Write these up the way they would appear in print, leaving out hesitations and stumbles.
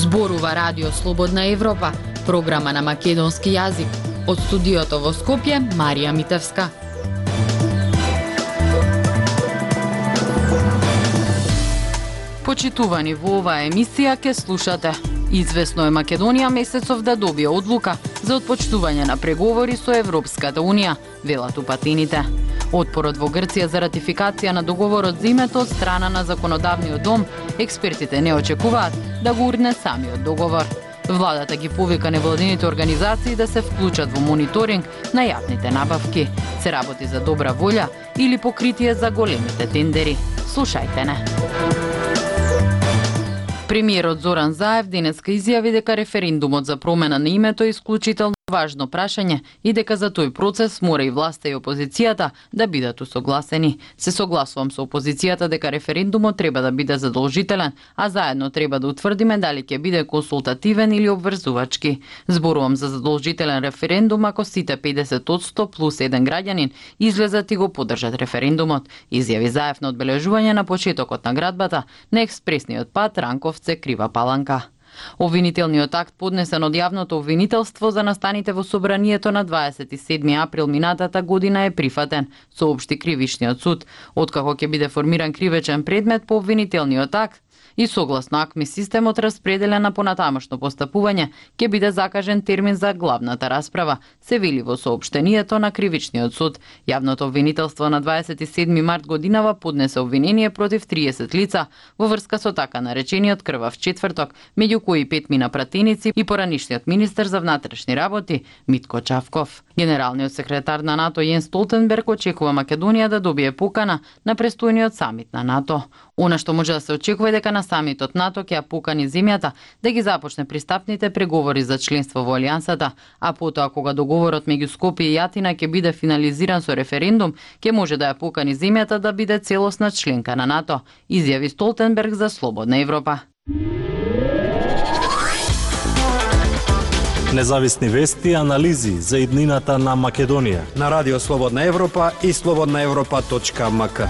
Зборува Радио Слободна Европа, програма на македонски јазик. Од студиото во Скопје, Марија Митевска. Почитувани во оваа емисија ке слушате. Извесно е Македонија месецов да добие одлука за отпочнување на преговори со Европската Унија, велат упатените. Отпорот во Грција за ратификација на договорот за името од страна на законодавниот дом, експертите не очекуваат да го урне самиот договор. Владата ги повика невладините организации да се вклучат во мониторинг на јавните набавки. Се работи за добра волја или покритие за големите тендери. Слушајте не. Премиерот Зоран Заев денеска изјави дека референдумот за промена на името е исклучително важно прашање и дека за тој процес мора и власта и опозицијата да бидат усогласени. Се согласувам со опозицијата дека референдумот треба да биде задолжителен, а заедно треба да утврдиме дали ќе биде консултативен или обврзувачки. Зборувам за задолжителен референдум ако сите 50% плюс еден граѓанин излезат и го поддржат референдумот, изјави Заев на одбележување на почетокот на градбата на експресниот пат Ранковце-Крива Паланка. Обвинителниот акт поднесен од јавното обвинителство за настаните во собранието на 27 април минатата година е прифатен, соопшти Кривишниот суд, откако ќе биде формиран кривечен предмет по обвинителниот акт и согласно АКМИ системот распределен на понатамошно постапување, ќе биде закажен термин за главната расправа, се вели во соопштението на Кривичниот суд. Јавното обвинителство на 27 март годинава поднесе обвинение против 30 лица во врска со така наречениот крвав четврток, меѓу кои 5 мина пратеници и поранишниот министер за внатрешни работи Митко Чавков. Генералниот секретар на НАТО Јенс Столтенберг очекува Македонија да добие покана на престојниот самит на НАТО. Она што може да се очекува е дека на самитот НАТО ќе ја покани земјата да ги започне пристапните преговори за членство во алијансата, а потоа кога договорот меѓу Скопје и Атина ќе биде финализиран со референдум, ќе може да ја покани земјата да биде целосна членка на НАТО, изјави Столтенберг за Слободна Европа. Независни вести и анализи за иднината на Македонија на Радио Слободна Европа и slobodnaevropa.mk.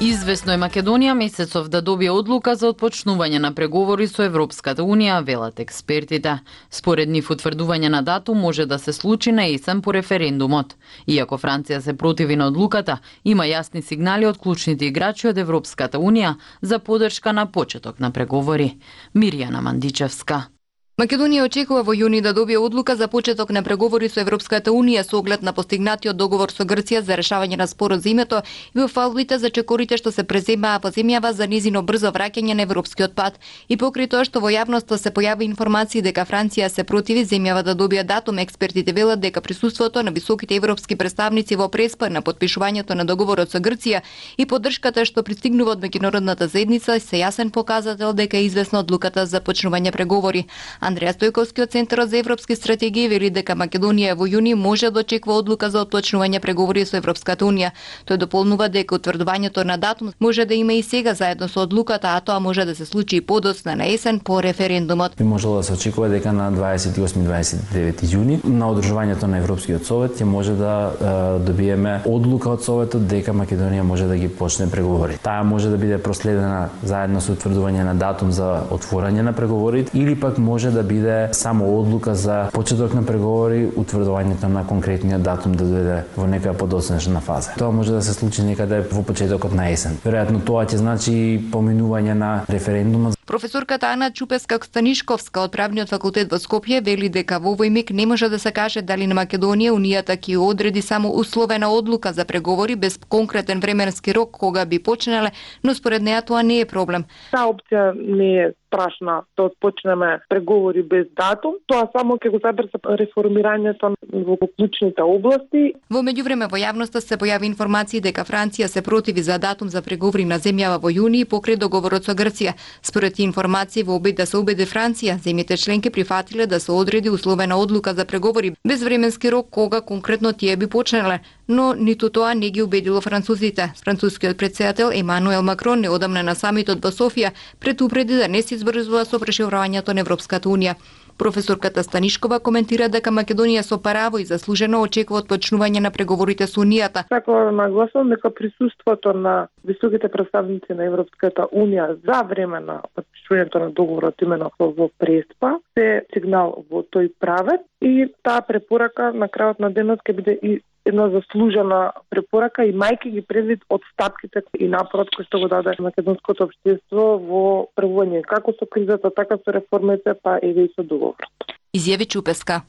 Извесно е Македонија месецов да добие одлука за отпочнување на преговори со Европската Унија, велат експертите. Според нив утврдување на датум може да се случи на есен по референдумот. Иако Франција се противи на одлуката, има јасни сигнали од клучните играчи од Европската Унија за поддршка на почеток на преговори. Мирјана Мандичевска. Македонија очекува во јуни да добие одлука за почеток на преговори со Европската Унија со оглед на постигнатиот договор со Грција за решавање на спорот за името и во фалбите за чекорите што се преземаа во земјава за низино брзо враќање на европскиот пат. И покрај тоа што во јавноста се појави информации дека Франција се противи земјава да добие датум, експертите велат дека присуството на високите европски представници во преспа на подпишувањето на договорот со Грција и поддршката што пристигнува од меѓународната заедница се јасен показател дека е известна одлуката за почнување преговори. Андреја Стојковски од Центарот за европски стратегии вели дека Македонија во јуни може да очекува одлука за отпочнување преговори со Европската Унија. Тој дополнува дека утврдувањето на датум може да има и сега заедно со одлуката, а тоа може да се случи и подоцна на есен по референдумот. Би можело да се очекува дека на 28-29 јуни на одржувањето на Европскиот совет ќе може да добиеме одлука од советот дека Македонија може да ги почне преговори. Таа може да биде проследена заедно со утврдување на датум за отворање на преговори или пак може да биде само одлука за почеток на преговори, утврдувањето на конкретниот датум да дојде во некоја подоцнешна фаза. Тоа може да се случи некаде во почетокот на есен. Веројатно тоа ќе значи поминување на референдумот. Професорката Ана Чупеска-Станишковска од Правниот факултет во Скопје вели дека во овој миг не може да се каже дали на Македонија Унијата ќе одреди само условена одлука за преговори без конкретен временски рок кога би почнале, но според неа тоа не е проблем. Таа опција не е страшна да почнеме преговори без датум, тоа само ќе го забрза реформирањето во клучните области. Во меѓувреме во јавноста се појави информации дека Франција се противи за датум за преговори на земјава во јуни покрај договорот со Грција. Според информации во обид да се убеди Франција, земјите членки прифатиле да се одреди условена одлука за преговори без временски рок кога конкретно тие би почнале, но ниту тоа не ги убедило французите. Францускиот претседател Емануел Макрон неодамна на самитот во Софија предупреди да не се избрзува со проширувањето на Европската Унија. Професорката Станишкова коментира дека Македонија со право и заслужено очекува отпочнување на преговорите со Унијата. Сакам да нагласам дека присуството на високите представници на Европската Унија за време на подпишувањето на договорот именно во Преспа се сигнал во тој правец и таа препорака на крајот на денот ќе биде и една заслужена препорака, имајќи ги предвид отстапките и напорот кој што го даде македонското општество во превување како со кризата, така со реформите, па и со договорот. Изјави Чупеска.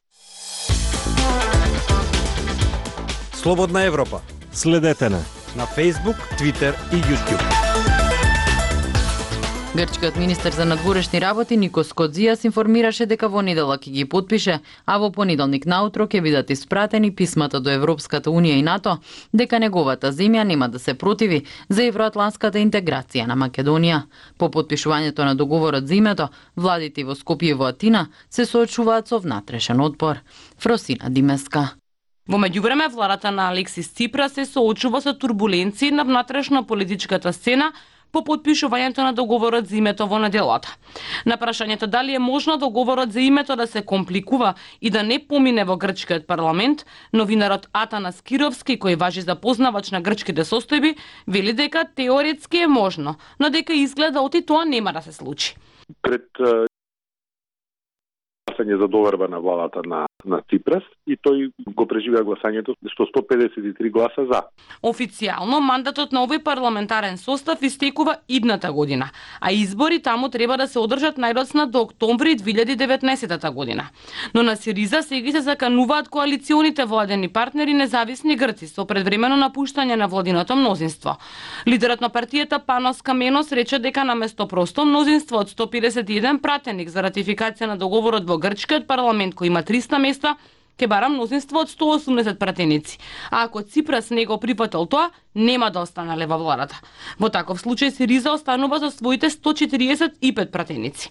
Слободна Европа. Следете на Facebook, Twitter и YouTube. Грчкиот министер за надворешни работи Никос Кодзијас информираше дека во недела ќе ги потпише, а во понеделник наутро ќе бидат испратени писмата до Европската Унија и НАТО дека неговата земја нема да се противи за евроатланската интеграција на Македонија. По потпишувањето на договорот за името, владите во Скопје и во Атина се соочуваат со внатрешен отпор. Фросина Димеска. Во меѓувреме, владата на Алексис Ципрас се соочува со турбуленции на внатрешна политичката сцена по потпишувањето на договорот за името во неделата. На прашањето дали е можно договорот за името да се компликува и да не помине во грчкиот парламент, новинарот Атанас Кировски, кој важи за познавач на грчките состојби, вели дека теоретски е можно, но дека изгледа оти тоа нема да се случи. Пред гласање за доверба на владата на Ципрас и тој го преживеа гласањето со 153 гласа за. Официјално мандатот на овој парламентарен состав истекува идната година, а избори таму треба да се одржат најдоцна до октомври 2019 година. Но на Сириза сега се закануваат коалиционите владени партнери независни грци со предвремено напуштање на владиното мнозинство. Лидерот на партијата Панос Каменос рече дека наместо просто мнозинство од 151 пратеник за ратификација на договорот во грчкиот парламент кој има 300 места, ќе бара мнозинство од 180 пратеници. А ако Ципрас не го прифатил тоа, нема да останале во владата. Во таков случај Сириза останува со своите 145 пратеници.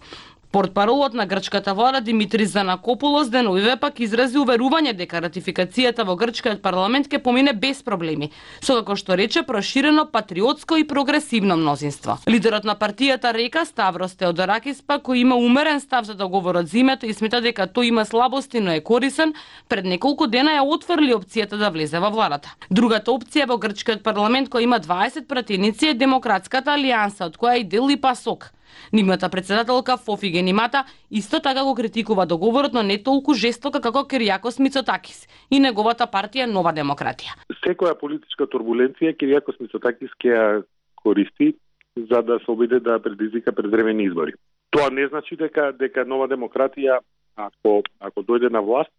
Портпаролот на грчката влада Димитрис Занакопулос деновиве пак изрази уверување дека ратификацијата во грчкиот парламент ќе помине без проблеми, со како што рече проширено патриотско и прогресивно мнозинство. Лидерот на партијата Река Ставрос Теодоракис пак кој има умерен став за договорот за името и смета дека тој има слабости, но е корисен, пред неколку дена ја отфрли опцијата да влезе во владата. Другата опција во грчкиот парламент кој има 20 пратеници е Демократската алијанса, од која и дел и ПАСОК. Нивната председателка Фофи Генимата исто така го критикува договорот, но не толку жестоко како Киријакос Мицотакис и неговата партија Нова демократија. Секоја политичка турбуленција Киријакос Мицотакис ќе ја користи за да се обиде да предизвика предвремени избори. Тоа не значи дека Нова демократија ако дојде на власт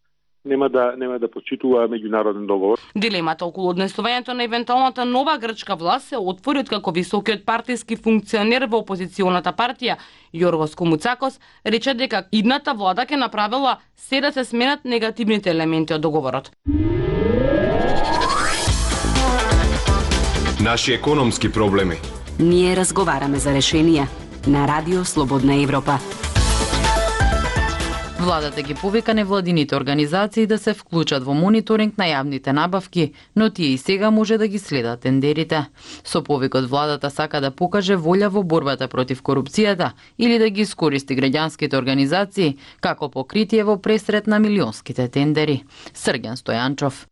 нема да почитува меѓународен договор. Дилемата околу однесувањето на евентуалната нова грчка власт се отвори откако високиот партиски функционер во опозиционата партија Јоргос Комуцакос рече дека идната влада ќе направила се да се сменат негативните елементи од договорот. Наши економски проблеми. Ние разговараме за решенија на Радио Слободна Европа. Владата ги повика невладините организации да се вклучат во мониторинг на јавните набавки, но тие и сега може да ги следат тендерите. Со повикот владата сака да покаже волја во борбата против корупцијата или да ги искористи граѓанските организации како покритие во пресрет на милионските тендери. Срген Стојанчов.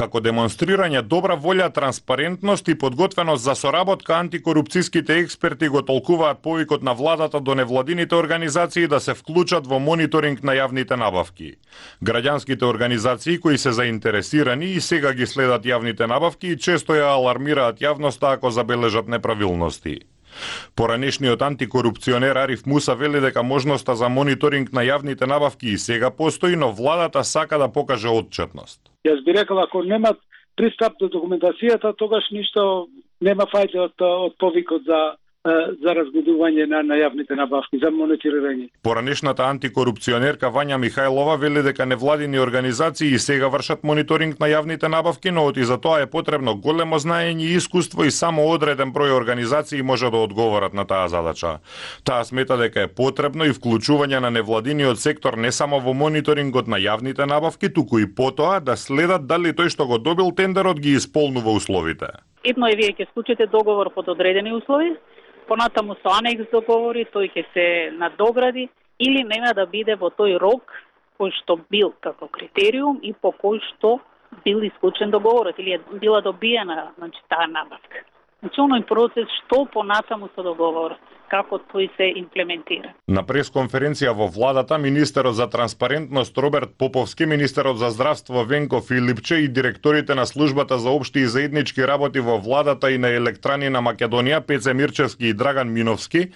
Како демонстрирање добра волја, транспарентност и подготвеност за соработка, антикорупцијските експерти го толкуваат повикот на владата до невладините организации да се вклучат во мониторинг на јавните набавки. Граѓанските организации кои се заинтересирани и сега ги следат јавните набавки и често ја алармираат јавноста ако забележат неправилности. Поранешниот антикорупционер Ариф Муса вели дека можноста за мониторинг на јавните набавки и сега постои, но владата сака да покаже отчетност. Јас би рекол, ако немат пристап до документацијата, тогаш ништо нема фајде од повикот за разгледување на јавните набавки, за мониторирање. Поранешната антикорупционерка Вања Михајлова вели дека невладини организации и сега вршат мониторинг на јавните набавки, но и за тоа е потребно големо знаење и искуство и само одреден број организации може да одговорат на таа задача. Таа смета дека е потребно и вклучување на невладиниот сектор не само во мониторингот на јавните набавки, туку и потоа да следат дали тој што го добил тендерот ги исполнува условите. Едно е вие ќе склучите договор под одредени услови, понатаму со анекс договори, тој ќе се надогради или нема да биде во тој рок кој што бил како критериум и по кој што бил исклучен договорот или е била добиена, таа набавка. Оној процес што понатаму со договорот, како тој се имплементира. На пресконференција во владата, министерот за транспарентност Роберт Поповски, министерот за здравство Венко Филипче и директорите на службата за општи и заеднички работи во владата и на Електрани на Македонија Пеце Мирчевски и Драган Миновски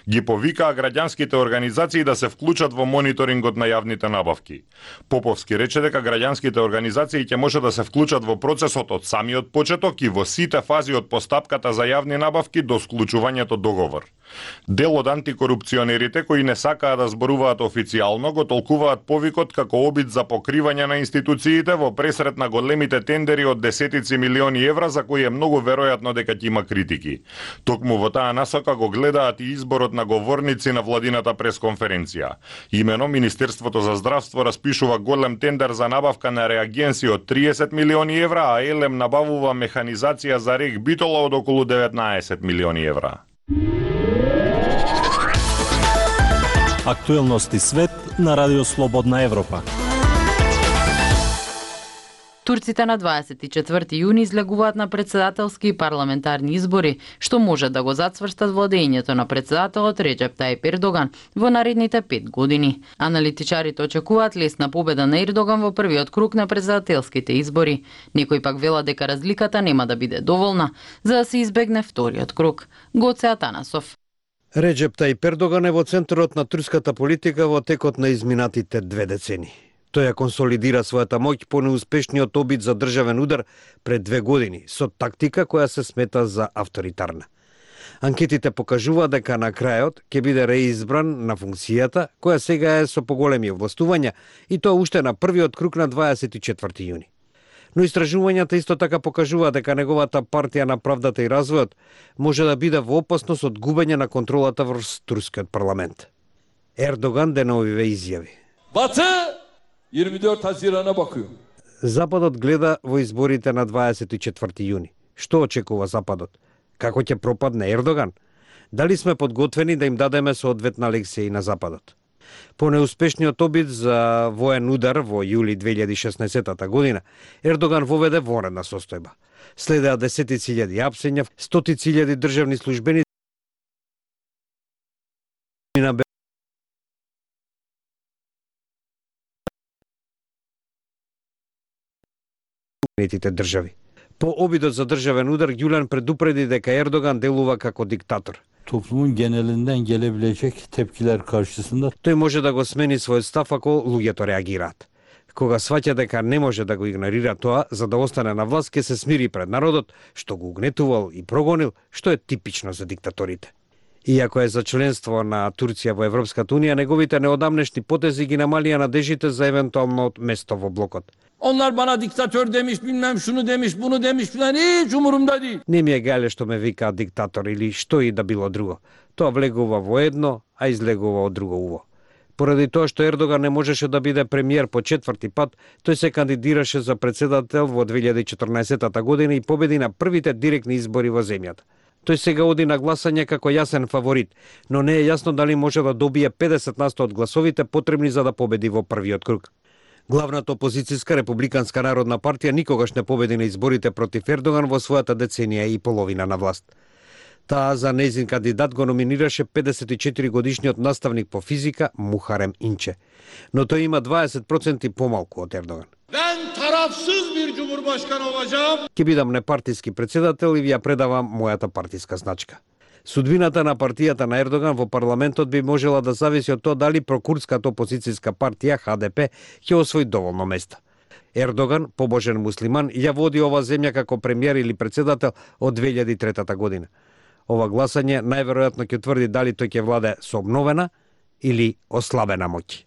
ги повикаа граѓанските организации да се вклучат во мониторингот на јавните набавки. Поповски рече дека граѓанските организации ќе може да се вклучат во процесот од самиот почеток и во сите фази од постапката за јавни набавки до склучувањето договор. Дел од антикорупционерите кои не сакаат да зборуваат официјално го толкуваат повикот како обид за покривање на институциите во пресрет на големите тендери од десетици милиони евра за кои е многу веројатно дека ќе има критики. Токму во таа насока го гледаат и изборот на говорници на владината пресконференција. Имено Министерството за здравство распишува голем тендер за набавка на реагенси од 30 милиони евра, а Елем набавува механизација за рек Битола од околу 19 милиони евра. Актуелности свет на Радио Слободна Европа. Турците на 24 јуни излегуваат на председателски и парламентарни избори, што може да го зацврстат владењето на председателот Реджеп Тајип Ердоган во наредните 5 години. Аналитичарите очекуваат лесна победа на Ердоган во првиот круг на председателските избори. Некои пак велат дека разликата нема да биде доволна за да се избегне вториот круг. Гоце Атанасов. Реджеп Тајип Ердоган е во центарот на турската политика во текот на изминатите 2 децени. Тој ја консолидира својата моќ по неуспешниот обид за државен удар пред 2 години, со тактика која се смета за авторитарна. Анкетите покажуваат дека на крајот ќе биде реизбран на функцијата, која сега е со поголеми овластувања, и тоа уште на првиот круг на 24 јуни. Но истражувањата исто така покажуваат дека неговата партија на правдата и развојот може да биде во опасност од губење на контролата врз турскиот парламент. Ердоган деновиве изјави: Батı 24 Haziran'a bakıyor. Западот гледа во изборите на 24 јуни. Што очекува Западот? Како ќе пропадне Ердоган? Дали сме подготвени да им дадеме соодветна лекција и на Западот? По неуспешниот обид за воен удар во јули 2016 година, Ердоган воведе вонредна состојба. Следеа десетици илјади апсења, стотици илјади државни службени на држави. По обидот за државен удар, Гюлен предупреди дека Ердоган делува како диктатор. Toplumun genelinden gelebilecek tepkiler karşısında Тој може да го смени својот став ако луѓето реагираат. Кога сваќа дека не може да го игнорира тоа, за да остане на власт, ќе се смири пред народот, што го угнетувал и прогонил, што е типично за диктаторите. Иако е за членство на Турција во Европската Унија, неговите неодамнешни потези ги намалија надежите за евентуално место во блокот. Onlar bana diktatör demiş, bilmem şunu demiş, bunu demiş filan, hiç umurumda değil. Не ми е гајле што ме викаат диктатор или што и да било друго. Тоа влегува во едно, а излегува од друго уво. Поради тоа што Ердоган не можеше да биде премиер по 4-ти пат, тој се кандидираше за председател во 2014 година и победи на првите директни избори во земјата. Тој сега оди на гласање како јасен фаворит, но не е јасно дали може да добие 50% од гласовите потребни за да победи во првиот круг. Главната опозицијска републиканска народна партија никогаш не победи на изборите против Ердоган во својата деценија и половина на власт. Таа за нејзин кандидат го номинираше 54 годишниот наставник по физика Мухарем Инче, но тој има 20% помалку од Ердоган. Ben tarafsız bir cumhurbaşkanı olacağım. Ќе бидам непартиски председател и ви ја предавам мојата партиска значка. Судбината на партијата на Ердоган во парламентот би можела да зависи од тоа дали прокурдската опозицијска партија ХДП ќе освои доволно места. Ердоган, побожен муслиман, ја води ова земја како премиер или председател од 2003 година. Ова гласање најверојатно ќе тврди дали тој ќе владе со обновена или ослабена моќ.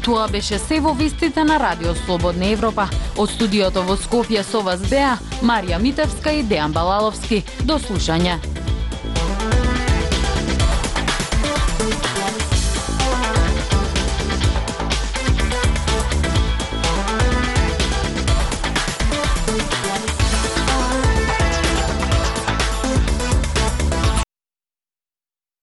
Тоа беше се во вестите на Радио Слободна Европа. Од студиото во Скопје со вас беа Марија Митевска и Дејан Балаловски. До слушање.